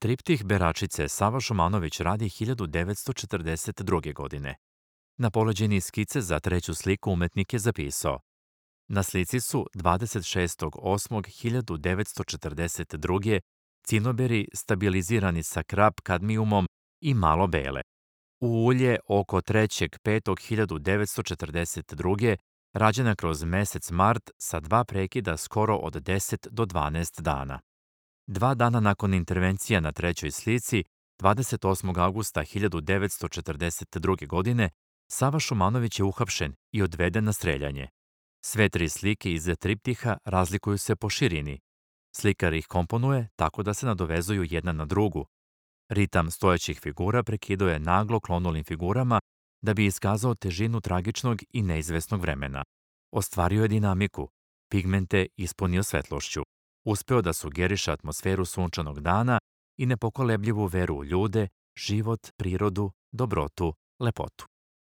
Triptih Beračice Sava Šumanović radi 1942. godine. Na poleđini skice za treću sliku umetnik je zapisao: na slici su 26.8.1942. cinoberi stabilizirani sa krap kadmijumom i malo bele. U ulje oko 3.5.1942. rađena kroz mesec mart sa 2 prekida skoro od 10 do 12 dana. 2 dana nakon intervencija na trećoj slici, 28. augusta 1942. godine, Sava Šumanović je uhapšen i odveden na streljanje. Sve 3 slike iz triptiha razlikuju se po širini. Slikar ih komponuje tako da se nadovezuju jedna na drugu. Ritam stojećih figura prekiduje naglo klonulim figurama da bi iskazao težinu tragičnog i neizvesnog vremena. Ostvario je dinamiku, pigmente ispunio svetlošću. Uspeo da sugeriše atmosferu sunčanog dana i nepokolebljivu veru u ljude, život, prirodu, dobrotu, lepotu.